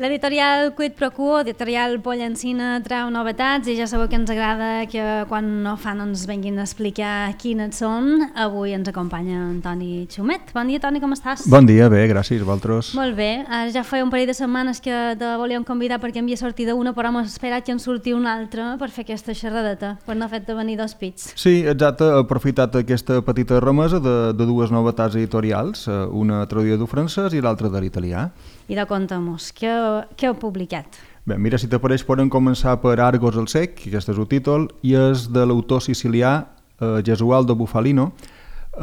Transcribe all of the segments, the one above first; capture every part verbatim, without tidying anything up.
L'editorial Quid Pro Quo, editorial Pollancina, treu novetats i ja sabeu que ens agrada que quan no fan ens venguin a explicar quines són. Avui ens acompanya Antoni Xumet. Bon dia, Toni, com estàs? Bon dia, bé, gràcies, vosaltres. Molt bé, ja feia un parell de setmanes que te volíem convidar perquè havia sortit una, però hem esperat que en surti una altra per fer aquesta xerradeta, per no fer-te venir dos pits. Sí, exacte, he aprofitat aquesta petita remesa de, de dues novetats editorials, una traduïda del francès i l'altra de l'italià. I de contem-nos, què, què heu publicat? Bé, mira, si t'apareix podem començar per Argos el Cec, que aquest és el títol, i és de l'autor sicilià eh, Gesualdo Bufalino. Eh,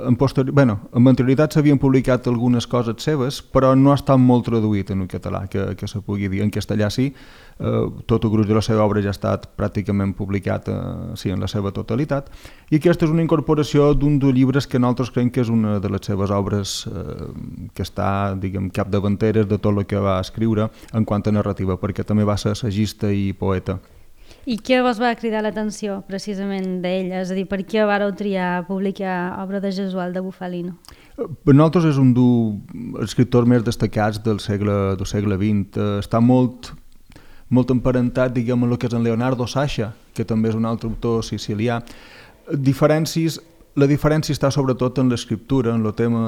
en, posterior, bueno, en anterioritat s'havien publicat algunes coses seves, però no ha estat molt traduït en el català, que, que se pugui dir. En castellà sí, eh, tot el gruix de la seva obra ja ha estat pràcticament publicat eh, sí, en la seva totalitat, i aquesta és una incorporació d'un dels llibres que nosaltres creiem que és una de les seves obres eh, que està, diguem, capdavanteres de tot el que va escriure en quant a narrativa, perquè també va ser assagista i poeta. I què vos va cridar l'atenció precisament d'ell? És a dir, per què vareu triar publicar obra de Gesualdo Bufalino? Per nosaltres és un dels escriptors més destacats del segle, del segle vint. Està molt, molt emparentat, diguem, amb el que és en Leonardo Sciascia, que també és un altre autor sicilià. Diferències, la diferència està sobretot en l'escriptura, en el tema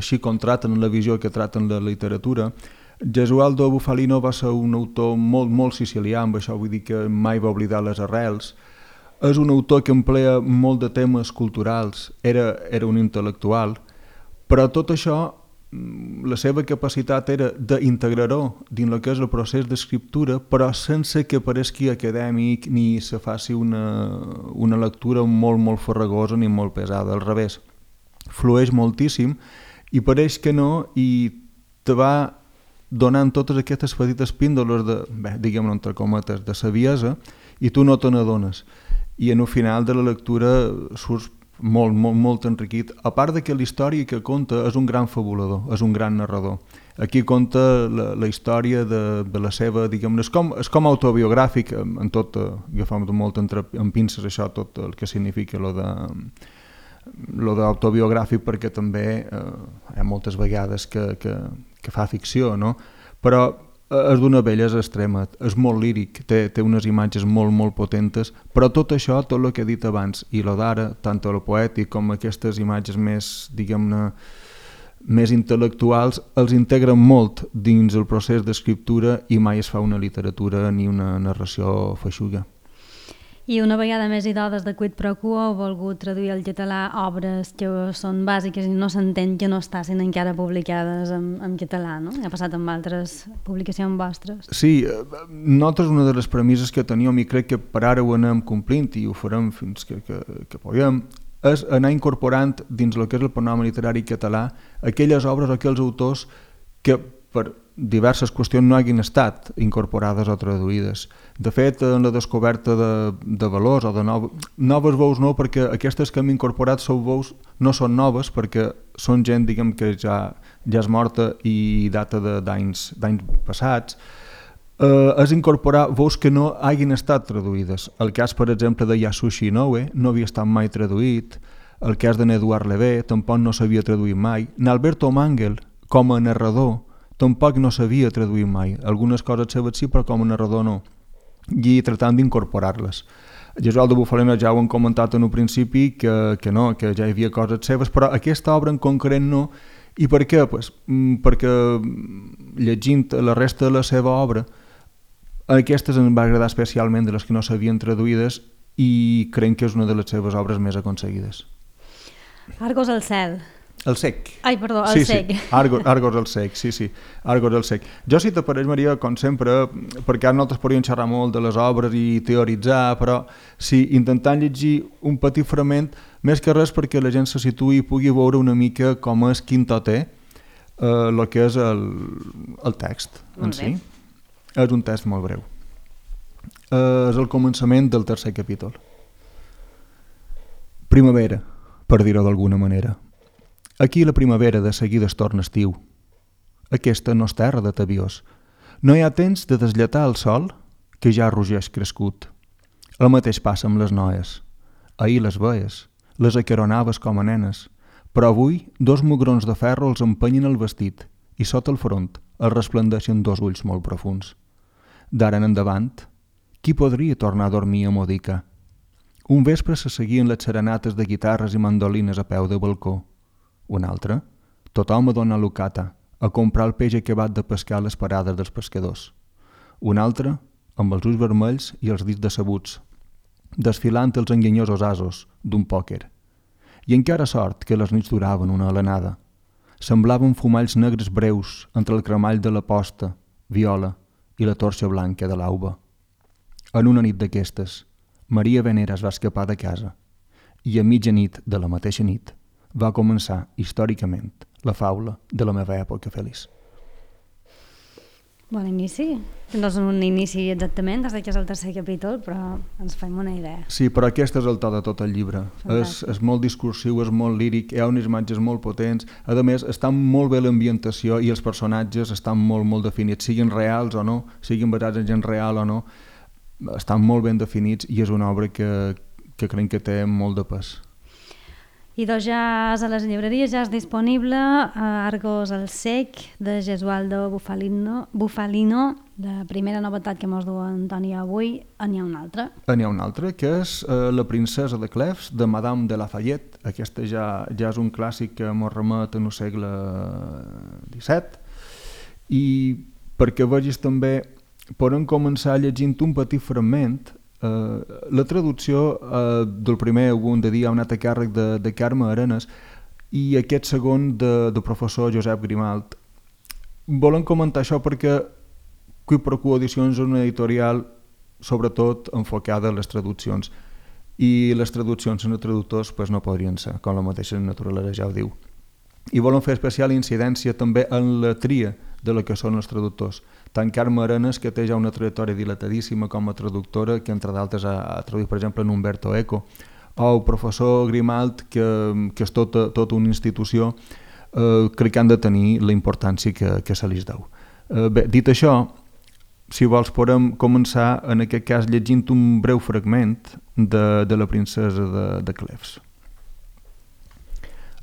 així com traten, en la visió que traten la literatura. Gesualdo Bufalino va ser un autor molt, molt sicilià, amb això vull dir que mai va oblidar les arrels. És un autor que emplea molt de temes culturals, era, era un intel·lectual, però tot això, la seva capacitat era d'integrar-ho dins el que és el procés d'escriptura, però sense que pareixi acadèmic ni se faci una, una lectura molt, molt farragosa ni molt pesada, al revés. Flueix moltíssim i pareix que no, i te va donant totes aquestes petites píndoles de, bé, diguem-ne entre cometes, de saviesa, i tu no te n'adones. I en el final de la lectura surts molt, molt, molt enriquit. A part de que la història que conta és un gran fabulador, és un gran narrador. Aquí conta la, la història de, de la seva, diguem-ne, és com, és com autobiogràfic, en tot, agafam molt entre, en pinces això, tot el que significa lo de... lo d'autobiogràfic, perquè també eh, hi ha moltes vegades que, que, que fa ficció, no? Però és d'una bellesa extrema, és molt líric, té, té unes imatges molt, molt potentes, però tot això, tot el que he dit abans, i lo d'ara, tant el poètic com aquestes imatges més, diguem-ne, més intel·lectuals, els integren molt dins el procés d'escriptura i mai es fa una literatura ni una narració feixuga. I una vegada més i dades de Quid Pro Quo heu volgut traduir al català obres que són bàsiques i no s'entén que no estassin encara publicades en, en català, no? Ha passat amb altres publicacions vostres. Sí, nosaltres una de les premisses que teníem, i crec que per ara ho anem complint i ho farem fins que, que, que puguem, és anar incorporant dins el que és el panorama literari català aquelles obres, aquells autors que per diverses qüestions no hagin estat incorporades o traduïdes. De fet, en la descoberta de, de valors o de noves, noves veus no, perquè aquestes que hem incorporat són veus, no són noves, perquè són gent, diguem, que ja, ja és morta i data d'anys passats. Eh, és incorporar veus que no hagin estat traduïdes. El cas, per exemple, de Yasushi Inoue no havia estat mai traduït, el cas d'en Eduard Levé tampoc no s'havia traduït mai. N'Alberto Mangel, com a narrador, tampoc no s'havia traduït mai. Algunes coses seves sí, però com a narrador no. I tratant d'incorporar-les. Gesualdo Bufalino ja ho hem comentat en un principi, que, que no, que ja hi havia coses seves, però aquesta obra en concret no. I per què? Pues, perquè llegint la resta de la seva obra, aquestes em va agradar especialment de les que no s'havien traduïdes i crec que és una de les seves obres més aconseguides. Argos al cel. El Cec. Ai, perdó, el sí, Cec. Sí, Argos, Argos el Cec, sí, sí, Argos el Cec. Jo, si t'apareix, Maria, com sempre, perquè ara nosaltres podríem xerrar molt de les obres i teoritzar, però sí, intentant llegir un petit fragment, més que res perquè la gent se situï i pugui veure una mica com és quin to té el eh, que és el, el text en si. És un text molt breu. Eh, és el començament del tercer capítol. Primavera, per dir-ho d'alguna manera. Aquí la primavera de seguida es torna estiu. Aquesta no és terra de tabiós. No hi ha temps de deslletar el sol, que ja rugeix crescut. El mateix passa amb les noies. Ahir les veies, les acaronaves com a nenes, però avui dos mugrons de ferro els empenyen el vestit i sota el front el resplendeixen dos ulls molt profuns. D'ara en endavant, qui podria tornar a dormir a Modica? Un vespre se seguien les serenates de guitarres i mandolines a peu de balcó. Un altre, tothom a donar lucata, a comprar el peix acabat de pescar a les parades dels pescadors. Un altre, amb els ulls vermells i els dits decebuts, desfilant els enganyosos asos d'un pòquer. I encara sort que les nits duraven una alenada. Semblaven fumalls negres breus entre el cremall de la posta, viola i la torxa blanca de l'auba. En una nit d'aquestes, Maria Veneras va escapar de casa i a mitjanit de la mateixa nit va començar històricament la faula de la meva època feliç. Bon inici. No és un inici exactament, des que és el tercer capítol, però ens fem una idea. Sí, però aquest és el to de tot el llibre. És, és molt discursiu, és molt líric, hi ha unes imatges molt potents. A més, està molt bé l'ambientació i els personatges estan molt, molt definits, siguin reals o no, siguin basats en gent real o no, estan molt ben definits i és una obra que, que crec que té molt de pes. I doncs ja és a les llibreries, ja és disponible a Argos el Sec, de Gesualdo Bufalino, Bufalino, la primera novetat que mos du Antoni avui, n'hi ha una altra. N'hi ha una altra, que és uh, La princesa de Cleves, de Madame de Lafayette. Aquesta ja, ja és un clàssic que mos remet en el segle disset. I perquè vegis també, podem començar llegint un petit fragment. Uh, la traducció uh, del primer ho hem de dir ha anat a càrrec de, de Carme Arenas i aquest segon de, de professor Josep Grimalt. Volem comentar això perquè Quid Pro Quo Edicions és una editorial sobretot enfocada a les traduccions i les traduccions en els traductors pues, no podrien ser, com la mateixa naturalesa ja ho diu. I volem fer especial incidència també en la tria de la que són els traductors. Tant Carme Arenas, que té ja una trajectòria dilatadíssima com a traductora, que entre d'altres ha, ha traduït, per exemple, en Umberto Eco, o el professor Grimalt, que, que és tota, tota una institució, eh, crec que han de tenir la importància que, que se li deu. Eh, bé, dit això, si vols podem començar, en aquest cas, llegint un breu fragment de, de la princesa de, de Cleves.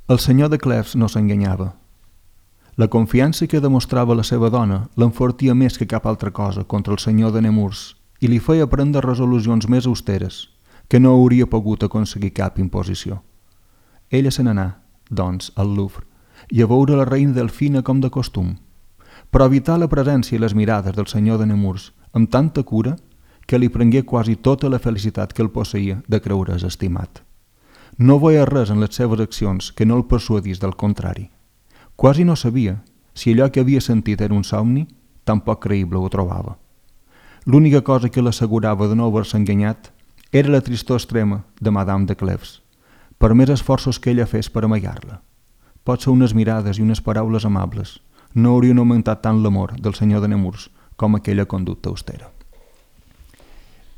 El senyor de Cleves no s'enganyava. La confiança que demostrava la seva dona l'enfortia més que cap altra cosa contra el senyor de Nemours i li feia prendre resolucions més austeres, que no hauria pogut aconseguir cap imposició. Ella se n'anà, doncs, al Louvre, i a veure la reina Delfina com de costum, però evitar la presència i les mirades del senyor de Nemours amb tanta cura que li prengué quasi tota la felicitat que el posseïa de creure's estimat. No veia res en les seves accions que no el persuadís del contrari. Quasi no sabia si allò que havia sentit era un somni, tampoc creïble ho trobava. L'única cosa que l'assegurava de no haver-se enganyat era la tristor extrema de Madame de Cleves, per més esforços que ella fes per amagar-la. Potser unes mirades i unes paraules amables no haurien augmentat tant l'amor del senyor de Nemours com aquella conducta austera.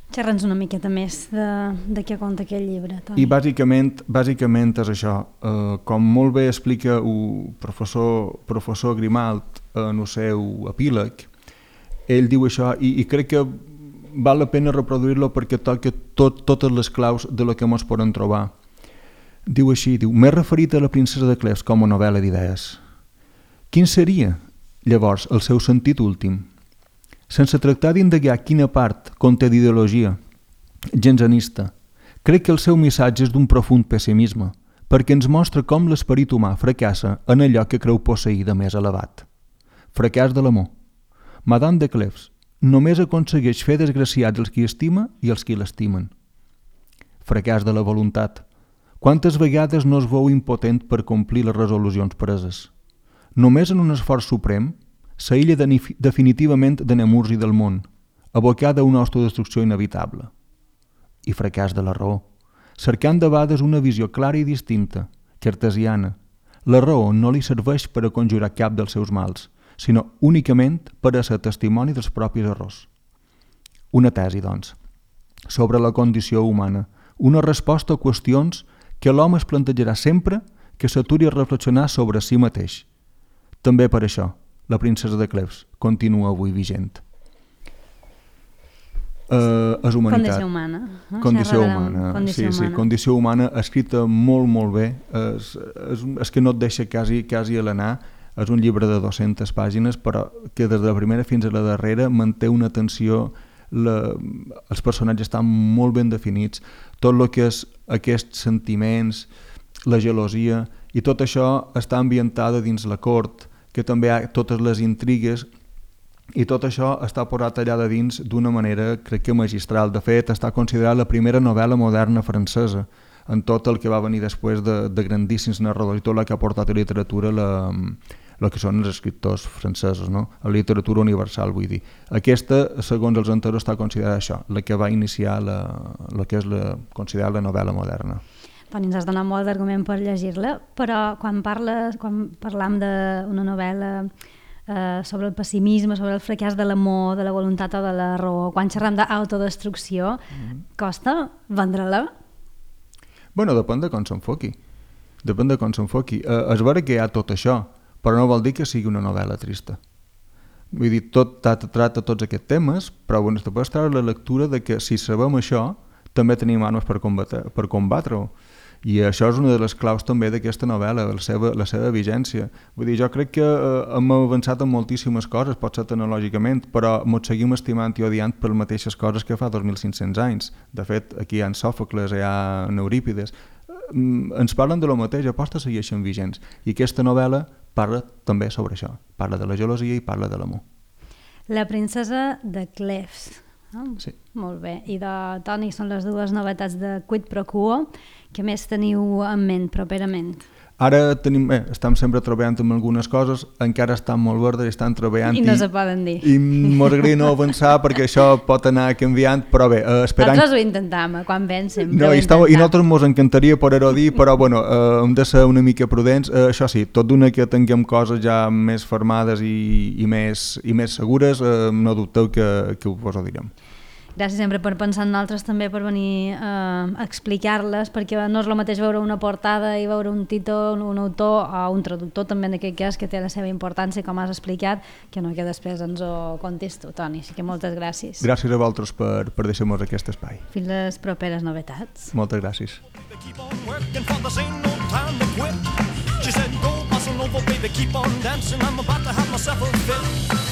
Xerra'ns una miqueta més de, de què conta aquest llibre, Toni. I bàsicament, bàsicament és això. Uh, com molt bé explica el professor, professor Grimalt en el seu epíleg, ell diu això i, i crec que val la pena reproduir-lo perquè toca tot, totes les claus de lo que ens poden trobar. Diu així, diu, m'he referit a La princesa de Cleves com a novel·la d'idees. Quin seria, llavors, el seu sentit últim? Sense tractar d'indagar quina part conté d'ideologia gensanista, crec que el seu missatge és d'un profund pessimisme, perquè ens mostra com l'esperit humà fracassa en allò que creu posseir de més elevat. Fracàs de l'amor. Madame de Cleves només aconsegueix fer desgraciats els qui estima i els qui l'estimen. Fracàs de la voluntat. Quantes vegades no es veu impotent per complir les resolucions preses? Només en un esforç suprem s'aïlla definitivament de Nemours i del món, abocada a una autodestrucció inevitable. I fracàs de la raó, cercant de vegades una visió clara i distinta, cartesiana. La raó no li serveix per a conjurar cap dels seus mals, sinó únicament per a ser testimoni dels propis errors. Una tesi, doncs, sobre la condició humana, una resposta a qüestions que l'home es plantejarà sempre que s'aturi a reflexionar sobre si mateix. També per això, La princesa de Cleves continua avui vigent. Uh, és humanitat. Condició humana. No? Condició humana. Condició sí, humana. sí, condició humana, escrita molt, molt bé. És, és, és que no et deixa quasi, quasi a l'anar. és un llibre de dues-centes pàgines, però que des de la primera fins a la darrera manté una tensió, la, els personatges estan molt ben definits, tot el que és aquests sentiments, la gelosia, i tot això està ambientada dins la cort, que també hi ha totes les intrigues, i tot això està posat allà de dins d'una manera, crec que magistral. De fet, està considerada la primera novel·la moderna francesa, en tot el que va venir després de, de grandíssims narradors i tot el que ha portat a la literatura la, el que són els escriptors francesos, no? La literatura universal, vull dir. Aquesta, segons els enteros, està considerada això, la que va iniciar la, la que és la, considerada la novel·la moderna. Toni, ens has donat molt d'argument per llegir-la, però quan, parles, quan parlam d'una novel·la eh, sobre el pessimisme, sobre el fracàs de l'amor, de la voluntat o de la raó, quan xerram d'autodestrucció, mm-hmm. costa vendre-la? Bueno, depèn de com s'enfoqui. Depèn de com s'enfoqui. Eh, és vera que hi ha tot això, però no vol dir que sigui una novel·la trista. Vull dir, tot tracta tots aquests temes, però bueno, te pots treure la lectura de que si sabem això, també tenim armes per combatre, per combatre-ho. I això és una de les claus també d'aquesta novel·la, la seva, la seva vigència. Vull dir, jo crec que eh, hem avançat en moltíssimes coses, pot ser tecnològicament, però ens seguim estimant i odiant per les mateixes coses que fa dos mil cinc-cents anys. De fet, aquí hi ha Sòfocles, hi ha Eurípides. Ens parlen de lo mateix, aposta segueixen vigents. I aquesta novel·la parla també sobre això. Parla de la gelosia i parla de l'amor. La princesa de Cleves. Oh, sí. Molt bé. I de Toni són les dues novetats de Quid Pro Quo. Què més teniu en ment properament? Ara tenim, eh, estem sempre treballant amb algunes coses, encara estan molt verdes i estan treballant. I no i, se poden dir. I m'agradaria no avançar perquè això pot anar canviant, però bé, eh, esperant... Nosaltres ho intentam, quan ven sempre no, ho i, estava, i nosaltres ens encantaria poder-ho dir, però bueno, eh, hem de ser una mica prudents. Eh, això sí, tot d'una que tinguem coses ja més formades i, i, més, i més segures, eh, no dubteu que, que us ho direm. Gràcies sempre per pensar en nosaltres, també per venir eh, a explicar-les, perquè no és el mateix veure una portada i veure un títol, un autor o un traductor també en aquest cas, que té la seva importància, com has explicat, que no que després ens ho contis tu, Toni. Així que moltes gràcies. Gràcies a vosaltres per, per deixar-nos aquest espai. Fins les properes novetats. Moltes gràcies. She said, go, bossa nova, baby, keep on dancing. I'm about to have myself a fit.